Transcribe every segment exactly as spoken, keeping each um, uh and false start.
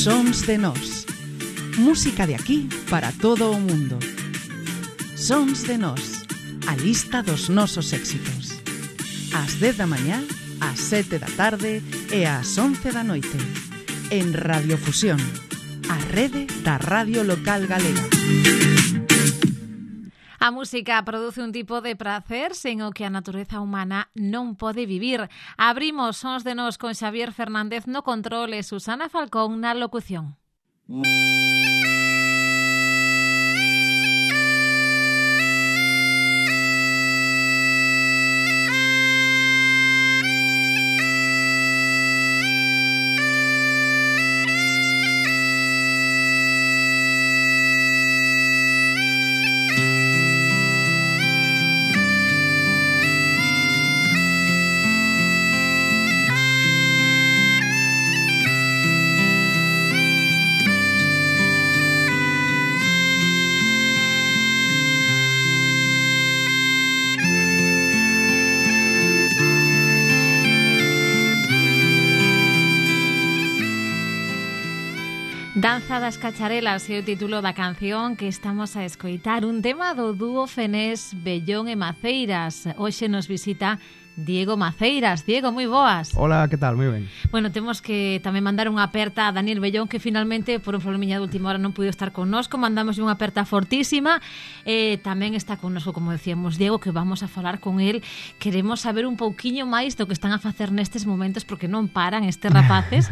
Sons de Nós. Música de aquí para todo o mundo. Sons de Nós. A lista dos nosos éxitos. Ás dez da mañá, ás sete da tarde e ás once da noite. En Radiofusión, a rede da radio local galega. A música produce un tipo de prazer sen o que a natureza humana non pode vivir. Abrimos Sons de Nós con Xavier Fernández no control e Susana Falcón na locución. Danza das Cacharelas é o título da canción que estamos a escoitar, un tema do dúo fenés Bellón e Maceiras. Hoxe nos visita Diego Maceiras. Diego, moi boas. Hola, que tal? Moi ben. Bueno, temos que tamén mandar unha aperta a Daniel Bellón, que finalmente, por un problemiña de última hora, non puido estar connosco. Mandamos unha aperta fortísima. Eh, tamén está connosco, como decíamos, Diego, que vamos a falar con el. Queremos saber un pouquiño máis do que están a facer nestes momentos, porque non paran estes rapaces.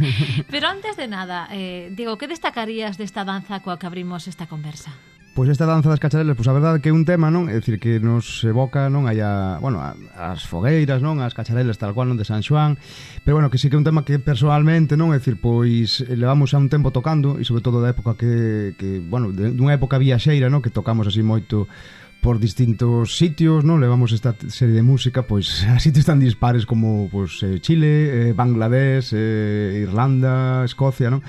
Pero antes de nada, eh, Diego, que destacarías desta danza coa que abrimos esta conversa? Pois esta danza das cacharelas, pois a verdade que é un tema, non? É dicir, que nos evoca, non? Hai a, bueno, as fogueiras, non? As cacharelas tal cual, non? De San Xoán. Pero bueno, que sí que é un tema que personalmente, non? É dicir, pois levamos xa un tempo tocando, e sobre todo da época que, que bueno, de, dunha época viaxeira, non? Que tocamos así moito por distintos sitios, non? Levamos esta serie de música pois a sitios tan dispares como pois Chile, eh, Bangladesh, eh, Irlanda, Escocia, non?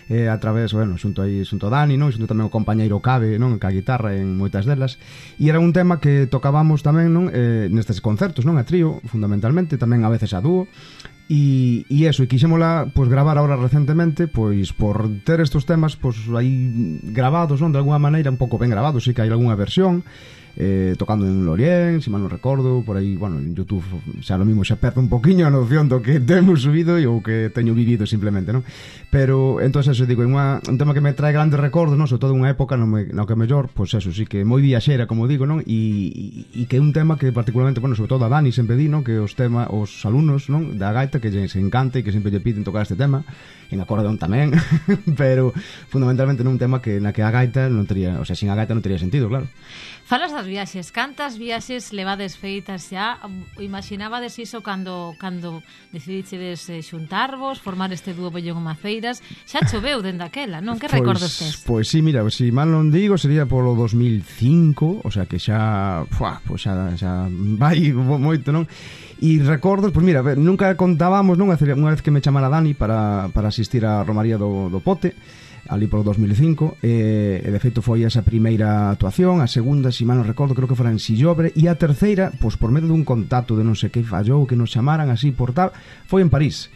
Eh, a través, bueno, xunto aí, xunto Dani, non? Xunto tamén o compañeiro Cabe, non? Ca guitarra en moitas delas. E era un tema que tocábamos tamén, non? Eh, nestes concertos, non? A trío, fundamentalmente, tamén a veces a dúo. E, e eso, e quixémola pois, gravar agora recentemente, pois por ter estos temas pois aí grabados, non? De alguna maneira, un pouco ben grabados, sí que hai algunha versión, eh, tocando en Lorient, se mal non recordo, por aí, bueno, en YouTube xa lo mismo xa perde un poquinho a noción do que temos subido e o que teño vivido simplemente, non? Pero, entón, eso, digo, é unha, un tema que me trae grandes recordos, non? Sobre todo unha época no, me, no que mellor, pois eso, sí que moi viaxera, como digo, non? E, e, e que é un tema que particularmente, bueno, sobre todo a Dani sempre di, non? Que os tema, os alumnos, non? Da gaita, que se encanta e que sempre lle piden tocar este tema, en acordeón tamén, pero fundamentalmente non un tema que na que a gaita non tería, o sea, sin a gaita non tería sentido, claro. Falas das viaxes, cantas viaxes levades feitas xa? Imaginabades iso cando cando decidichedes eh, xuntarvos, formar este dúo Bellón e Maceiras? Xa choveu dende aquela, non? Que recordos tes? Pois sí, mira, se mal non digo, sería polo dos mil cinco, o sea que xa, fuá, pois xa, xa vai moito, non? E recordos, pois mira, nunca contábamos, non? Unha vez que me chamara Dani para, para asistir á Romaría do, do Pote, ali polo dos mil cinco, e, e de feito foi esa primeira actuación, a segunda, se mal non recordo, creo que fora en Sillobre, e a terceira, pois por medio dun contacto de non sei que fallou, que nos chamaran así por tal, foi en París.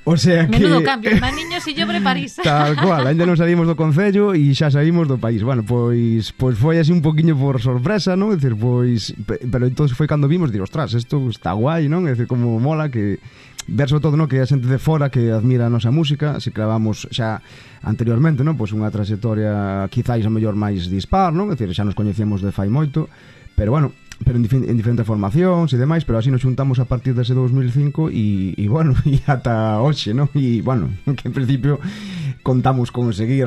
O sea que... Menudo cambio, Maniño, Sillobre, París. Tal cual, ainda non saímos do concello e xa saímos do país. Bueno, pois pois foi así un poquinho por sorpresa, non? É dicir, pois, pero entonces foi cando vimos, dir, ostras, isto está guai, non? É dicir, como mola que ver sobre todo, non, que a xente de fora que admira a nosa música, se clavamos xa anteriormente, non, pois unha trayectoria quizáis a mellor máis dispar, non? É dicir, xa nos coñecemos de fai moito, pero bueno, pero en, dif- en diferentes formacións e demais, pero así nos xuntamos a partir dese dos mil cinco e, e bueno, e ata hoxe, non? E bueno, que en principio contamos con seguir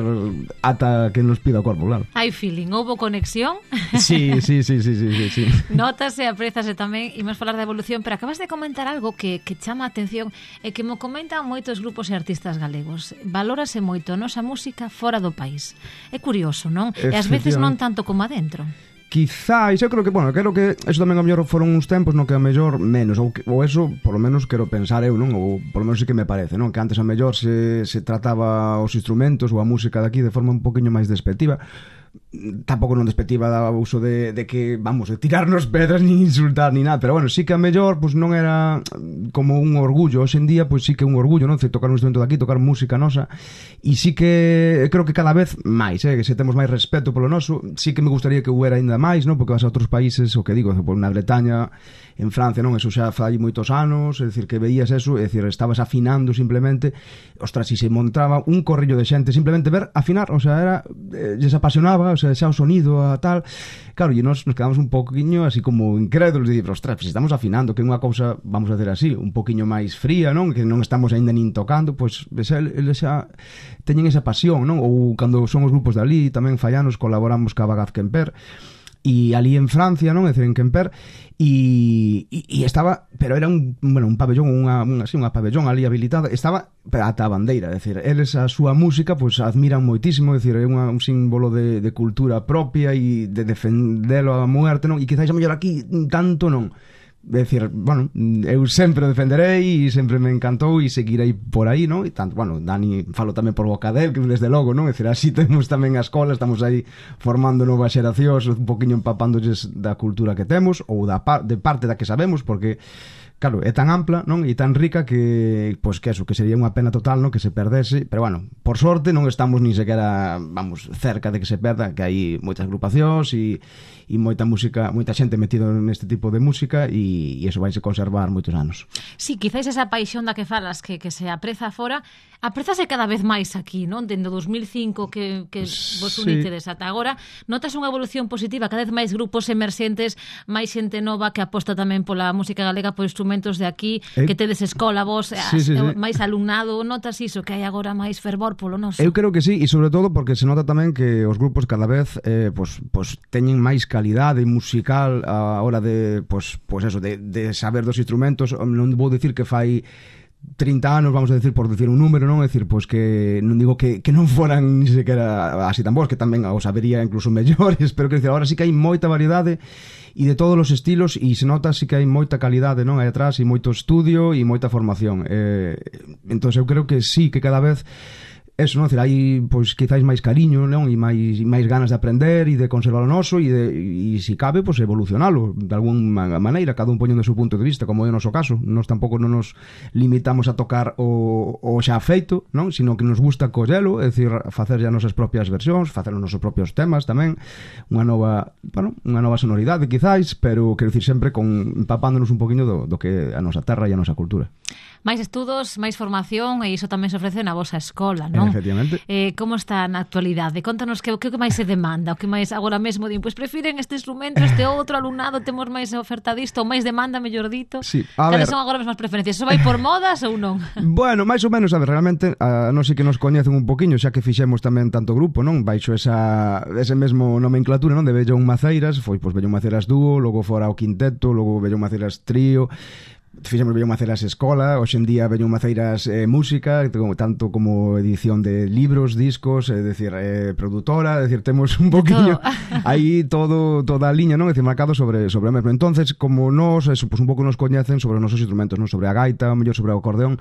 ata que nos pida o corpo, claro. Hai feeling, houbo conexión? Sí, sí, sí, sí, sí, sí. Notase, aprezase tamén, imos falar da evolución, pero acabas de comentar algo que, que chama a atención e que mo comentan moitos grupos e artistas galegos. Valórase moito a nosa música fora do país. É curioso, non? E ás veces non tanto como adentro. quizáis, eu creo que, bueno, creo que eso tamén a mellor foron uns tempos no que a mellor menos, ou, que, ou eso, por lo menos quero pensar eu, non? Ou por lo menos sí que me parece, non? Que antes a mellor se, se trataba os instrumentos ou a música daqui de forma un poquinho máis despectiva. Tampouco non despectiva da uso de, de que, vamos, de tirarnos pedras ni insultar ni nada, pero bueno, sí que a mellor pues, non era como un orgullo. Hoxe en día, pues sí que é un orgullo, non? De tocar un instrumento daqui, tocar música nosa, e sí que creo que cada vez máis, eh? Que se temos máis respeto polo noso, sí que me gustaría que hubiera ainda máis, non? Porque vas a outros países, o que digo, por na Bretaña, en Francia, non? Eso xa fai moitos anos, é dicir, que veías eso, é dicir, estabas afinando simplemente, ostras, e se montaba un corrillo de xente, simplemente ver afinar, o sea, era, eh, les apasionaba, o sea, xa o sonido a tal, claro, e nos, nos quedamos un poquinho así como incrédulos de dicir, ostras, se estamos afinando, que é unha cousa, vamos a hacer así, un poquinho máis fría, non? Que non estamos ainda nin tocando, pois pues, eles xa teñen esa pasión, non? Ou cando son os grupos de ali, tamén fallanos, colaboramos ca Bagaz Quemper, e ali en Francia, non? É dicir, en Quemper, e, e, e estaba, pero era un, bueno, un pabellón, unha, unha, así, unha pabellón ali habilitada, estaba ata a bandeira, é dicir, eles a súa música pois admiran moitísimo, é dicir, é unha, un símbolo de, de cultura propia e de defendelo a muerte, non? E quizás a mellor aquí tanto non. É dicir, bueno, eu sempre defenderei e sempre me encantou e seguirei por aí, non? E tanto, bueno, Dani falo tamén por boca del, que desde logo, non? É dicir, así temos tamén a escola, estamos aí formando novas xeracións, un poquinho empapándolles da cultura que temos ou da par, de parte da que sabemos, porque claro, é tan ampla, non? E tan rica que, pois que eso, que sería unha pena total, non? Que se perdese, pero bueno, por sorte non estamos ni sequera, vamos, cerca de que se perda, que hai moitas agrupacións e, e moita música, moita xente metido neste tipo de música e, e eso vaise conservar moitos anos. Sí, quizáis esa paixón da que falas que, que se apreza fora, aprezase cada vez máis aquí, non? Dende dos mil cinco que, que vos unitedes ata agora, notas unha evolución positiva, cada vez máis grupos emerxentes, máis xente nova que aposta tamén pola música galega, por instrumentos de aquí, eh, que tedes escola vos, sí, sí, sí. máis alumnado, notas iso, que hai agora máis fervor polo noso? Eu creo que sí, e sobre todo porque se nota tamén que os grupos cada vez eh, pues, pues, teñen máis calidade musical a hora de, pues, pues eso, de, de saber dos instrumentos. Non vou dicir que fai trinta anos, vamos a decir, por decir un número, non? É dicir, pois que non digo que, que non foran ni sequera así tan bons, que tamén os sabería incluso mellores, pero que decir, agora sí que hai moita variedade e de todos os estilos, e se nota sí que hai moita calidade, non? Aí atrás, e moito estudio e moita formación. Eh, entón, eu creo que sí, que cada vez eso, non? Hai, pois, quizáis máis cariño, non? E máis, e máis ganas de aprender e de conservar o noso e, de, e se cabe, pois, evolucionalo de alguna maneira, cada un poñendo o seu punto de vista, como é o noso caso. Nós tampouco non nos limitamos a tocar o, o xa feito, non? Sino que nos gusta collelo, é dicir, facer as nosas propias versións, facer os nosos propios temas tamén, unha nova, bueno, unha nova sonoridade, quizáis, pero, quero dicir, sempre con empapándonos un poquinho do, do que é a nosa terra e a nosa cultura. Máis estudos, máis formación, e iso tamén se ofrece na vosa escola, non? Efectivamente. Eh, como está na actualidade? Contanos que o que máis se demanda, o que máis agora mesmo din, pois prefiren este instrumento, este outro alumnado, temos máis oferta disto, ou máis demanda, mellor dito. Sí, a Cales ver, son agora mesmo as preferencias? Eso vai por modas ou non? Bueno, máis ou menos, a ver, realmente a non sei que nos coñecen un poquiño, xa que fixemos tamén tanto grupo, non? Baixo esa ese mesmo nomenclatura, non? De Bellón Maceiras, foi pois Bellón Maceiras dúo, logo fora o quinteto, logo Bellón Maceiras trío. Fixemos Bellón Maceiras escola, hoxe en día Bellón Maceiras eh, música, tanto como edición de libros, discos, é dicir, eh, produtora, é dicir, temos un poquinho aí todo, toda a liña, non? É dicir, marcado sobre, sobre o mesmo. Entonces, como nos, eso, pues un pouco nos coñecen sobre os nosos instrumentos, non? Sobre a gaita, o mellor sobre o acordeón,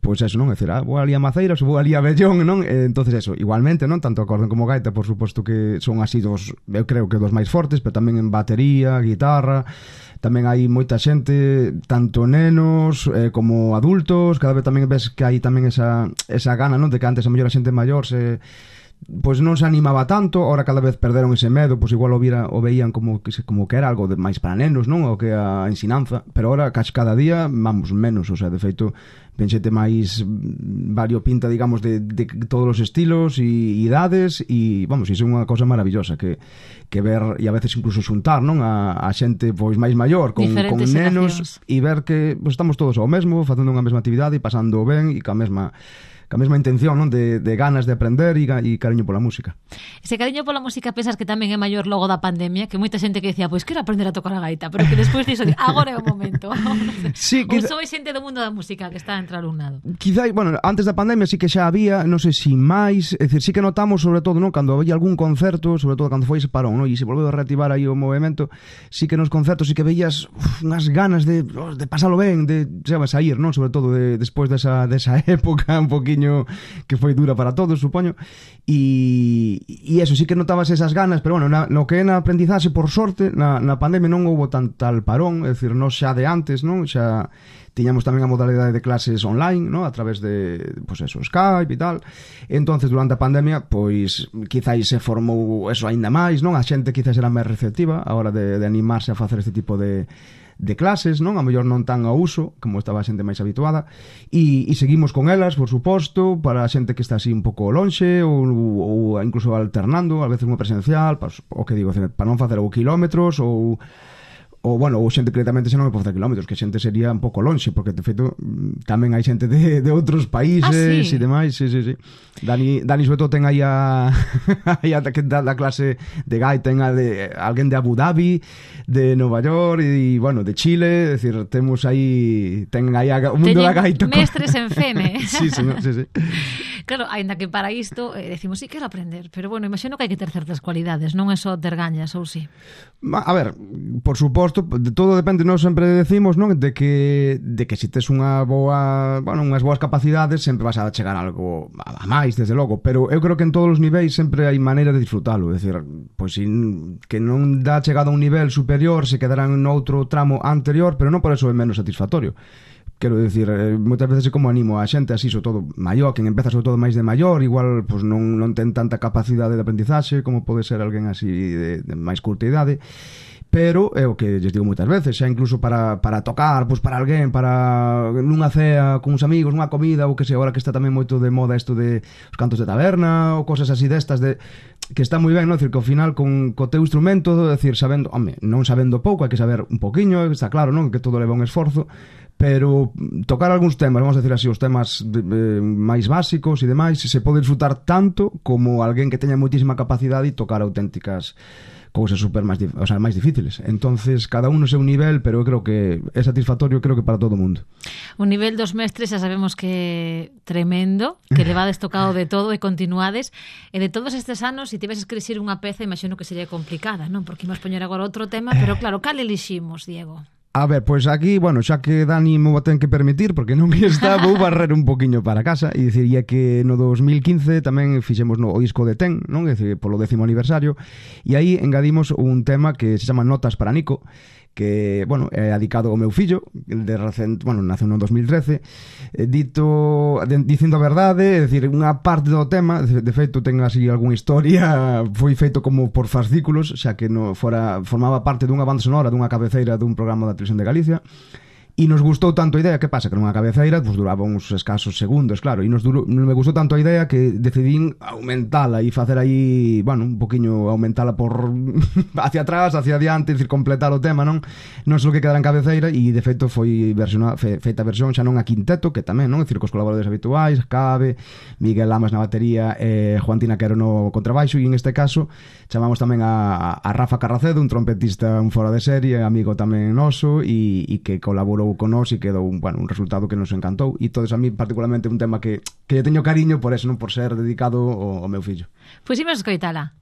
pois pues eso, non? É dicir, ah, vou ali a Maceiras, vou ali a Bellón, non? Eh, entonces eso, igualmente, non? Tanto acordeón como gaita, por suposto que son así dos, eu creo que dos máis fortes, pero tamén en batería, guitarra. Tamén hai moita xente, tanto nenos eh, como adultos, cada vez tamén ves que hai tamén esa, esa gana, non? De que antes a mellor a xente maior se pois non se animaba tanto, ahora cada vez perderon ese medo, pois igual o, vira, o veían como que, como que era algo de máis para nenos, non? O que a ensinanza, pero ahora cada día vamos menos, o sea, de feito ven xente máis variopinta, digamos, de, de todos os estilos e idades, e vamos, iso é unha cosa maravillosa que, que ver, e a veces incluso xuntar, non? A, a xente pois máis maior con, con nenos e ver que pois, estamos todos ao mesmo, facendo unha mesma actividade e pasando ben e ca mesma ca mesma intención, non? De, de ganas de aprender e, e cariño pola música. Ese cariño pola música pensas que tamén é maior logo da pandemia, que moita xente que decía, pois quero aprender a tocar a gaita, pero que despois diso, agora é o momento. Sí, ou quizá... sois xente do mundo da música que está entre alumnado. Quizá, bueno, antes da pandemia sí que xa había, non sei si máis, é dicir, sí que notamos sobre todo, non, cando había algún concerto, sobre todo cando foi ese parón, non, e se volveu a reactivar aí o movimento, sí que nos concertos sí que veías uf, unhas ganas de, de pasalo ben, de, sabes, sair, non, sobre todo de, despois desa, desa época un poquiño que foi dura para todos, supoño, e, e eso, sí que notabas esas ganas, pero bueno, na, no que é na aprendizaxe, por sorte, na, na pandemia non houbo tan tal parón, é dicir, non xa de antes, non, xa tiñamos tamén a modalidade de clases online, ¿no? A través de, pues eso, Skype e tal. Entonces, durante a pandemia, pois, quizáis se formou eso aínda máis, non? A xente quizás era máis receptiva a hora de, de animarse a facer este tipo de, de clases, non? A mellor non tan ao uso, como estaba a xente máis habituada, e, e seguimos con elas, por suposto, para a xente que está así un pouco lonxe, ou, ou incluso alternando, a veces unha presencial, para, o que digo, para non facer ou kilómetros, ou ou, bueno, ou xente que directamente xa non me pode facer kilómetros, que xente sería un pouco lonxe, porque, de feito, tamén hai xente de, de outros países e ah, sí? demais, sí, sí, sí. Dani, Dani sobre todo, ten aí a, aí a que da, da clase de gaita, ten a de, alguén de Abu Dhabi, de Nova York, e, bueno, de Chile, é dicir, temos aí, ten aí a, o mundo Teñen da gaita. mestres en Fene. Sí, señor, sí, sí. Claro, ainda que para isto eh, decimos, sí, quero aprender, pero bueno, imagino que hai que ter certas cualidades, non é só ter gañas, ou sí? A ver, por suposto, de todo depende, nós sempre decimos, non, de que de que se tes unha boa, bueno, unhas boas capacidades, sempre vas a chegar a algo a máis, desde logo, pero eu creo que en todos os niveis sempre hai maneira de disfrutalo, é dicir, pois sin, que non dá chegado a un nivel superior, se quedarán noutro tramo anterior, pero non por eso é menos satisfactorio. Quero dicir, moitas veces é como animo a xente así, sobre todo maior, quen empeza sobre todo máis de maior, igual pues, non, non ten tanta capacidade de aprendizaxe como pode ser alguén así de, de máis curta idade, pero é o que lles digo moitas veces, xa incluso para, para tocar, pues, para alguén, para nunha cea con uns amigos, nunha comida, ou que sei, agora que está tamén moito de moda isto de os cantos de taberna ou cosas así destas, de que está moi ben, non? Decir, que ao final con co teu instrumento, decir, sabendo, home, non sabendo pouco, hai que saber un poquiño, está claro, non? Que todo leva un esforzo, pero tocar algúns temas, vamos a decir así, os temas de, de, máis básicos e demais, se pode disfrutar tanto como alguén que teña moitísima capacidade e tocar auténticas cousas super máis, o sea, máis difíciles. Entonces, cada uno seu nivel, pero eu creo que é satisfactorio, creo que para todo o mundo. O nivel dos mestres xa sabemos que é tremendo, que levades tocado de todo e continuades, e de todos estes anos, se tiveses que elixir unha peza, imagino que sería complicada, non? Porque imos poñer agora outro tema, pero claro, cal eliximos, Diego? A ver, pois aquí, bueno, xa que Dani me o ten que permitir, porque non está, vou barrer un poquinho para casa, e diciría que no dos mil quince tamén fixemos no, o disco de Ten, non? É dicir, polo décimo aniversario, e aí engadimos un tema que se chama Notas para Nico, que, bueno, é adicado ao meu fillo, de recente, bueno, naceu no dos mil trece, eh, dito, de, dicindo a verdade, é dicir, unha parte do tema, de, de feito, ten así algunha historia, foi feito como por fascículos, xa que no fora, formaba parte dunha banda sonora, dunha cabeceira dun programa da Televisión de Galicia, e nos gustou tanto a idea, que pasa? Que nunha cabeceira pues, duraba uns escasos segundos, claro, e nos durou, me gustou tanto a idea que decidín aumentala e facer aí, bueno, un poquinho aumentala por hacia atrás, hacia adiante, decir, completar o tema, non? Non só que quedara en cabeceira, e de feito foi versiona, fe, feita a versión xa non a quinteto, que tamén, non? Decir, cos colaboradores habituais, Cabe, Miguel Lamas na batería, e eh, Juantina Quero no contrabaixo, e en este caso chamamos tamén a, a Rafa Carracedo, un trompetista un fora de serie, amigo tamén noso, e, e que colaborou con nós e quedou un, bueno, un resultado que nos encantou, e todos a mí particularmente un tema que, que teño cariño por eso, non por ser dedicado ao, ao meu fillo. Pois imos escoitala.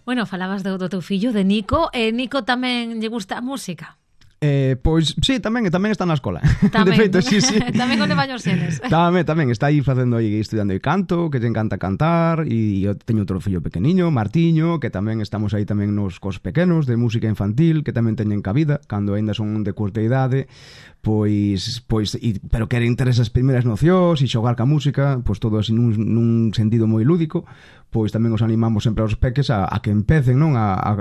Bueno, falabas do, do teu fillo, de Nico. E Nico tamén lle gusta a música? Eh, pois, sí, tamén, tamén está na escola. Tamén, de feito, sí, sí. Tamén con levaños xenes. Tamén, tamén, está aí facendo aí, estudando aí canto, que lle encanta cantar, e eu teño outro fillo pequeniño, Martiño, que tamén estamos aí tamén nos cos pequenos de música infantil, que tamén teñen cabida, cando aínda son de curta idade, pois, pois e, pero queren ter esas primeiras nocións e xogar ca música, pois todo así nun, nun sentido moi lúdico, pois tamén os animamos sempre aos peques a, a que empecen, non, a, a,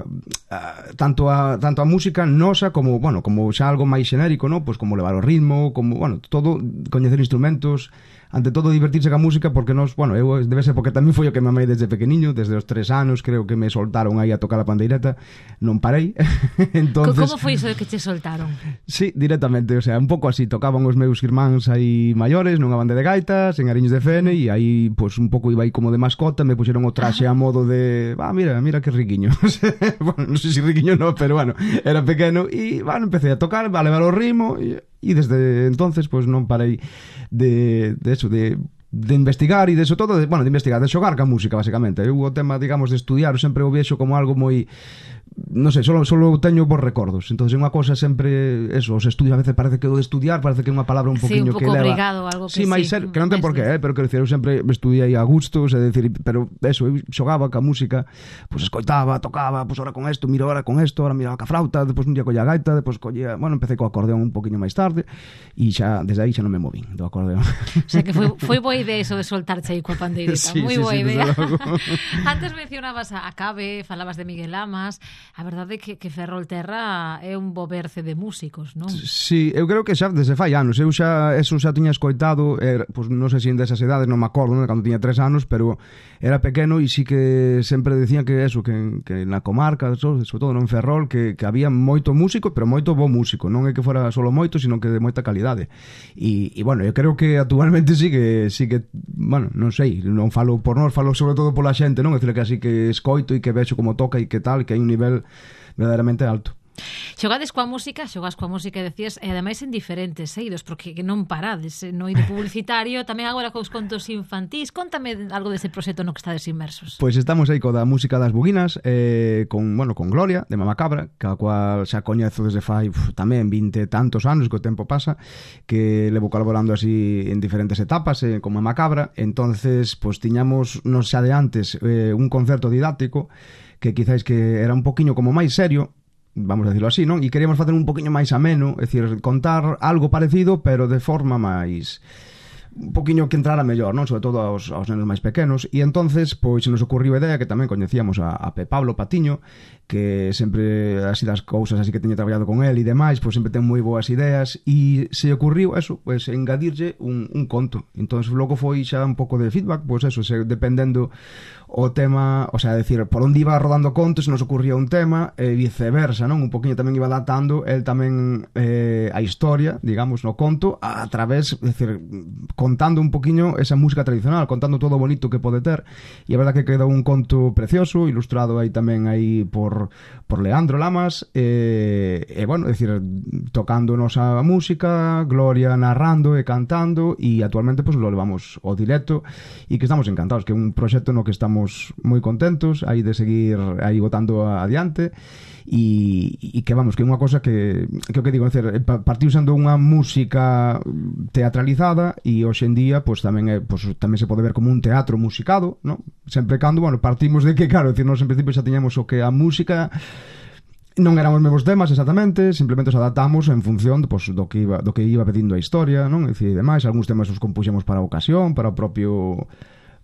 a tanto a tanto a música nosa como, bueno, como xa algo máis xenérico, non, pois como levar o ritmo, como, bueno, todo, coñecer instrumentos, ante todo divertirse ca música, porque nos, bueno, eu debe ser porque tamén foi o que me amei desde pequeniño, desde os tres anos, creo que me soltaron aí a tocar a pandeireta, non parei. Entonces, como foi iso de que che soltaron? Sí, directamente, o sea, un pouco así, tocaban os meus irmáns aí maiores nunha banda de gaitas, en Ariños de Fene, e aí, pois, un pouco iba aí como de mascota, me puxeron o traxe a modo de, ah, mira, mira que riquiño. Bueno, non sei se riquiño non, pero bueno, era pequeno, e, bueno, empecé a tocar, a levar o ritmo, e, e desde entonces, pois, non parei de, de eso, de de investigar e de eso todo, de, bueno, de investigar, de xogar ca música, basicamente. Eu o tema, digamos, de estudiar, sempre o vexo como algo moi, non sei, solo, solo teño bons recordos. Entonces, unha cosa sempre, eso, os estudios a veces parece que o de estudiar parece que é unha palabra un poquinho sí, un que leva. Obrigado, algo que sí, máis ser, que non ten por qué, eh, pero quero dicir, eu sempre estudiei a gustos, é dicir, pero eso, eu xogaba ca música, pois pues, escoitaba, tocaba, pois pues, ahora con isto, miro ahora con isto, ahora miraba ca flauta, depois un día colla gaita, depois collía, bueno, empecé co acordeón un poquinho máis tarde e xa desde aí xa non me movín do acordeón. O sea que foi foi boa idea iso de soltarche aí coa pandeireta, sí, moi sí, boa sí, idea. Antes mencionabas a Cabe, falabas de Miguel Lamas, a verdade é que, que Ferrolterra é un bo berce de músicos, non? Sí, eu creo que xa desde fai anos, eu xa eso xa tiña escoitado, er, pois non sei se en desas edades, non me acordo, non, cando tiña tres anos, pero era pequeno e sí que sempre decían que eso, que, que na comarca, sobre todo non Ferrol, que, que había moito músico, pero moito bo músico, non é que fora solo moito, sino que de moita calidade. E, e bueno, eu creo que actualmente sí que, sí que, bueno, non sei, non falo por nós, falo sobre todo pola xente, non? É dicir, que así que escoito e que vexo como toca e que tal, que hai un nivel verdadeiramente alto. Xogades coa música, xogas coa música, decías, e ademais en diferentes eidos, porque non parades, no eido publicitario, tamén agora cos contos infantís. Contame algo dese proxecto no que estades inmersos. Pois estamos aí co da música das buguinas, eh, con, bueno, con Gloria, de Mama Cabra, que a cual xa coñezo desde fai uf, tamén vinte tantos anos, que o tempo pasa, que levo colaborando así en diferentes etapas eh, con Mama Cabra. Entonces, pois tiñamos nos xa de antes eh, un concerto didáctico que quizáis que era un poquinho como máis serio, vamos a decirlo así, non? E queríamos facer un poquinho máis ameno, é dicir, contar algo parecido, pero de forma máis un poquinho que entrara mellor, non? Sobre todo aos, aos nenos máis pequenos. E entonces, pois, se nos ocurriu a idea que tamén coñecíamos a, a Pe Pablo Patiño, que sempre, así das cousas así que teño traballado con él e demais, pois sempre ten moi boas ideas, e se ocurriu eso, pois, engadirlle un, un conto. Entonces, logo foi xa un pouco de feedback, pois eso, se, dependendo o tema, o sea, decir, por onde iba rodando contos se nos ocurría un tema e viceversa, non? Un poquinho tamén iba adaptando el tamén eh, a historia, digamos, no conto a través, decir, contando un poquinho esa música tradicional, contando todo o bonito que pode ter, e a verdad que quedou un conto precioso, ilustrado aí tamén aí por, por Leandro Lamas, e, e bueno, decir, tocándonos a música, Gloria narrando e cantando, e actualmente pues lo levamos ao directo, e que estamos encantados, que é un proxecto no que estamos moi contentos aí de seguir aí botando adiante, e, e que vamos, que é unha cosa que que o que digo, decir, partiu sendo unha música teatralizada e hoxe en día pues tamén é, pues, tamén se pode ver como un teatro musicado, ¿no? Sempre cando, bueno, partimos de que, claro, decir, nos en principio xa tiñamos o que a música non eran os mesmos temas exactamente, simplemente os adaptamos en función pues, do que iba do que iba pedindo a historia, non? É dicir, demais, algúns temas os compuxemos para a ocasión, para o propio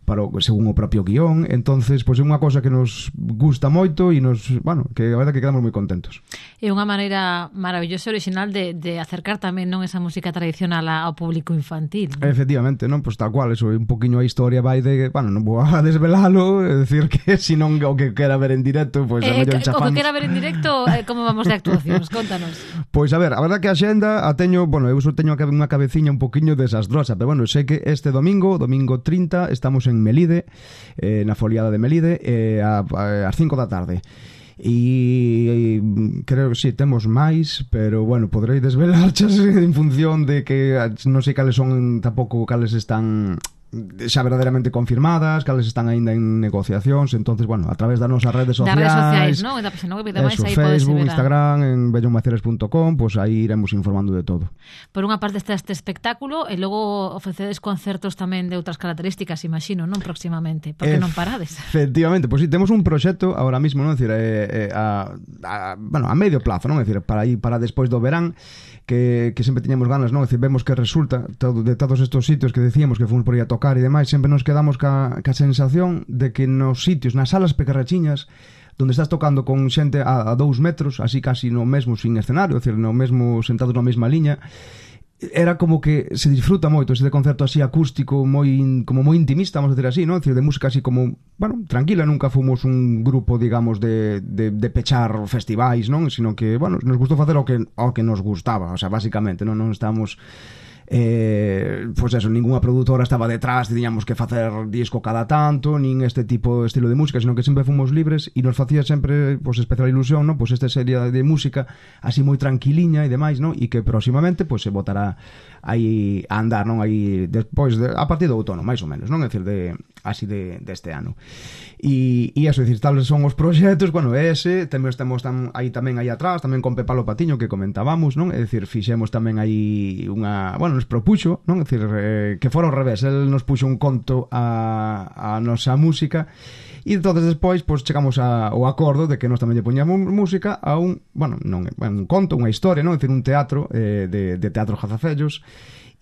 para o, según o propio guión, entonces pois pues, é unha cosa que nos gusta moito e nos, bueno, que a verdade que quedamos moi contentos. É unha maneira maravillosa e original de, de acercar tamén non esa música tradicional ao público infantil, ¿no? Efectivamente, non, pois pues, tal cual, eso, un poquinho a historia vai de, bueno, non vou a desvelalo, é dicir que se non o que quera ver en directo, pois pues, eh, a mellor chafamos. O que quera ver en directo, eh, como vamos de actuacións, contanos. Pois pues, a ver, a verdade que a xenda a teño, bueno, eu só teño unha cabeciña un poquinho desastrosa, pero bueno, sei que este domingo, domingo trinta, estamos en Melide, eh, na foliada de Melide, eh, a, a, ás cinco da tarde. E, e creo que si, sí, temos máis, pero bueno, poderei desvelarchas en función de que non sei cales son, tampouco cales están xa verdadeiramente confirmadas, cales están aínda en negociacións, entonces, bueno, a través das nosas redes sociais, das redes sociais, non? Da página web e demais, aí Facebook, Instagram, en bellón maceres punto com, pois pues aí iremos informando de todo. Por unha parte está este espectáculo e logo ofrecedes concertos tamén de outras características, imagino, non, próximamente, porque non parades. Efectivamente, pois pues, sí, temos un proxecto ahora mismo, non, é dicir, eh, eh, a, a, bueno, a medio plazo, non, é dicir, para aí para despois do verán, que, que sempre tiñamos ganas, non, é dicir, vemos que resulta todo, de todos estos sitios que decíamos que fomos por aí a tocar e demais, sempre nos quedamos ca, ca sensación de que nos sitios, nas salas pequerrachiñas, donde estás tocando con xente a, a dous metros, así casi no mesmo sin escenario, é dicir, no mesmo sentados na mesma liña, era como que se disfruta moito ese concerto así acústico, moi como moi intimista, vamos a decir así, ¿no? Es decir, de música así como, bueno, tranquila, nunca fomos un grupo, digamos, de, de, de pechar festivais, non? Sino que, bueno, nos gustou facer o que, o que nos gustaba, o sea, básicamente, non, non estamos... Eh, pois pues eso, ninguna produtora estaba detrás, tiñamos que facer disco cada tanto, nin este tipo de estilo de música, sino que sempre fomos libres e nos facía sempre, pois, pues, especial ilusión, ¿no? Pois pues, esta serie de música así moi tranquiliña e demais, ¿no? E que próximamente pois pues, se botará aí a andar, non? Aí despois de, a partir do outono, máis ou menos, non? É dicir, de así de deste ano. E e eso, é dicir, tales son os proxectos, bueno, ese, temos temos tam, aí tamén aí atrás, tamén con Pepalo Patiño que comentábamos, non? É dicir, fixemos tamén aí unha, bueno, nos propuxo, non? É dicir, eh, que fora ao revés, el nos puxo un conto a, a nosa música e entonces despois pois chegamos a, ao acordo de que nós tamén lle poñamos música a un, bueno, non, un conto, unha historia, non? É dicir, un teatro eh, de, de teatro Jazafellos.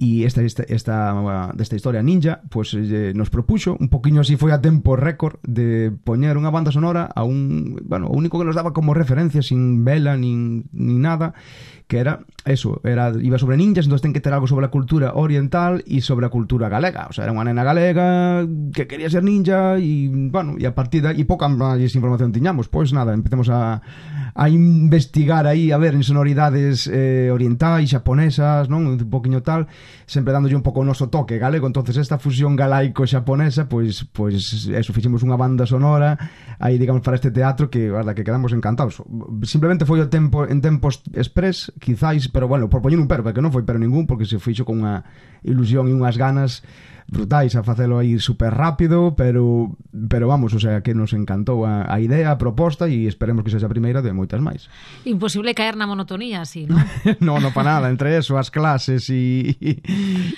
E esta, esta, esta, desta historia ninja, pues eh, nos propuxo, un poquinho así foi a tempo récord, de poñer unha banda sonora a un, bueno, o único que nos daba como referencia, sin vela, nin, nin nada, que era eso, era, iba sobre ninjas, entonces ten que ter algo sobre a cultura oriental e sobre a cultura galega, o sea, era unha nena galega que quería ser ninja e, bueno, e a partir de aí, e pouca máis información tiñamos, pois nada, empecemos a, a investigar aí, a ver en sonoridades eh, orientais, xaponesas, non, un poquinho tal, sempre dándolle un pouco o noso toque galego, entonces esta fusión galaico-xaponesa, pois, pois eso, fixemos unha banda sonora aí, digamos, para este teatro que, verdad, que quedamos encantados. Simplemente foi o tempo en tempos express, quizáis, pero bueno, por poñer un pero, porque non foi pero ningún, porque se fixo con unha ilusión e unhas ganas brutais a facelo aí super rápido, pero pero vamos, o sea, que nos encantou a, a idea, a proposta e esperemos que sexa a primeira de moitas máis. Imposible caer na monotonía así, ¿no? no, no para nada, entre eso, as clases e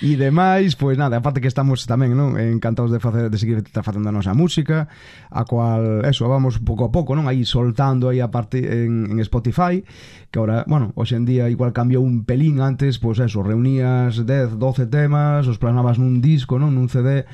e demais, pois nada, aparte que estamos tamén, non, encantados de facer de seguir facendo a nosa música, a cual eso, vamos pouco a pouco, non, aí soltando aí a parte en, en Spotify, que ahora, bueno, hoxe en día igual cambiou un pelín, antes, pois eso, reunías dez, doce temas, os plasmabas nun disco, non, nun C D,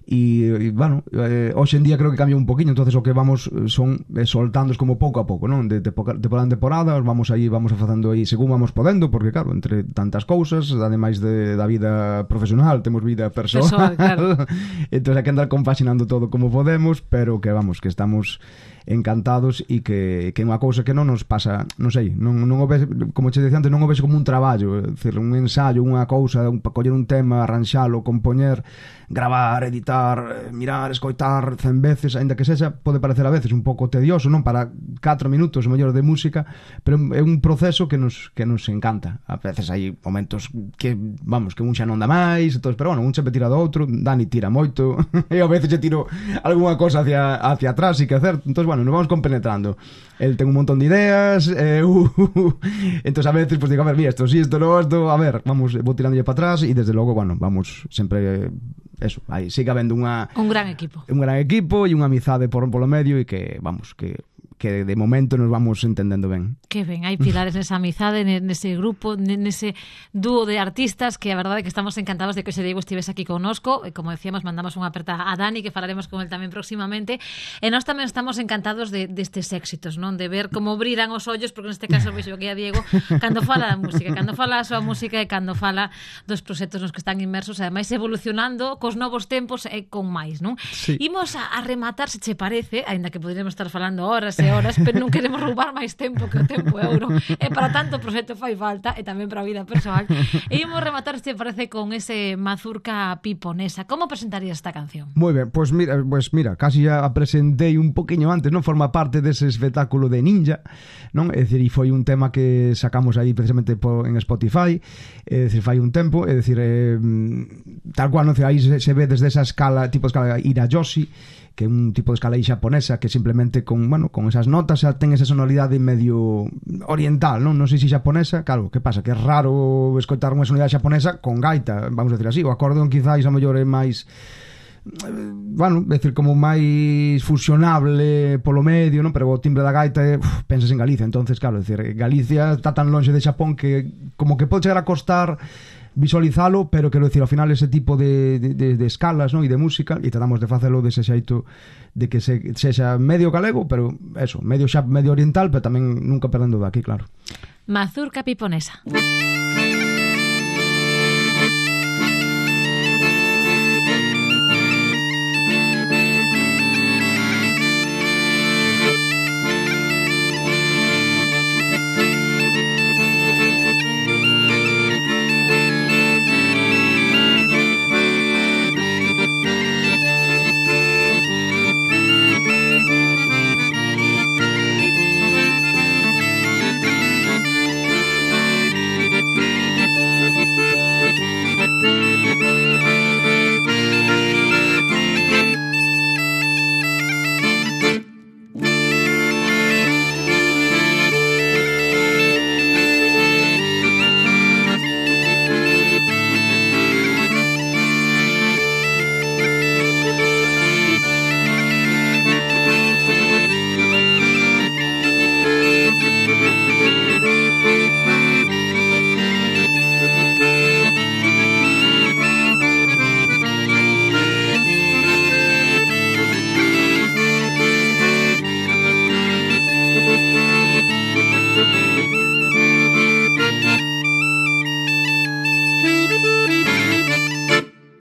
e, e bueno, eh, hoxe en día creo que cambia un poquinho, entonces o que vamos son eh, soltándoos como pouco a pouco, non? De temporada en temporada, vamos aí, vamos facendo aí según vamos podendo, porque claro, entre tantas cousas, ademais de, da vida profesional, temos vida persoal, persoal claro. Entón hai que andar compaginando todo como podemos, pero que vamos, que estamos encantados e que, que é unha cousa que non nos pasa, non sei, non, non o ves, como che dicía antes, non o ves como un traballo, é dicir, un ensayo, unha cousa, un, coller un tema, arranxalo, compoñer, gravar, editar, mirar, escoitar cen veces, aínda que sexa, pode parecer a veces un pouco tedioso, non para catro minutos mellor de música, pero é un proceso que nos que nos encanta. A veces hai momentos que, vamos, que un xa non dá máis, entonces, pero bueno, un sempre tira do outro, Dani tira moito, e a veces xe tiro algunha cousa hacia, hacia atrás, e que hacer, entonces, bueno, nos vamos compenetrando. Él ten un montón de ideas, eh, uh, uh, uh. Entonces a veces pues digo, a ver, mira, esto sí, esto no, esto, a ver, vamos, vou tirándolle para atrás e desde logo, bueno, vamos sempre, eso, aí sigue habendo unha un gran equipo. Un gran equipo e unha amizade por polo medio e que, vamos, que que de momento nos vamos entendendo ben. Que ben, hai pilares nesa amizade, nese grupo, nese dúo de artistas, que a verdade é que estamos encantados de que o Diego estivese aquí connosco, e como decíamos, mandamos unha aperta a Dani, que falaremos con él tamén próximamente, e nós tamén estamos encantados de destes de éxitos, non? De ver como brillan os ollos, porque neste caso vexo que a Diego, cando fala da música, cando fala a súa música e cando fala dos proxectos nos que están inmersos, e ademais evolucionando cos novos tempos e con máis, non? Sí. Imos a, a rematar, se che parece, aínda que poderíamos estar falando horas e horas, pero non queremos roubar máis tempo que o tempo euro, e para tanto o proxecto fai falta, e tamén para a vida persoal, e imos rematar, se parece, con ese Mazurca Piponesa. Como presentarías esta canción? Moi ben, pois pues mira, pues mira, casi ya a presentei un poquinho antes, non? Forma parte dese espectáculo de Ninja, non? É dicir, e foi un tema que sacamos aí precisamente po, en Spotify, é dicir, fai un tempo, é dicir, eh, tal cual, non sei, aí se, se ve desde esa escala, tipo de escala Irayoshi, que é un tipo de escala aí xaponesa que simplemente con, bueno, con esas notas xa ten esa sonoridade medio oriental, non? Non sei se xaponesa, claro, que pasa? Que é raro escoitar unha sonoridade xaponesa con gaita, vamos a decir así, o acordeón quizáis a mellor é máis, bueno, é dicir, como máis fusionable polo medio, non? Pero o timbre da gaita é, uf, pensas en Galicia, entonces, claro, é dicir, Galicia está tan longe de Xapón que como que pode chegar a costar visualizalo, pero quero dicir, ao final ese tipo de, de, de escalas, non? E de música, e tratamos de facelo dese xeito de que se, sexa medio galego, pero eso, medio xa, medio oriental, pero tamén nunca perdendo daqui, claro. Mazurca Piponesa.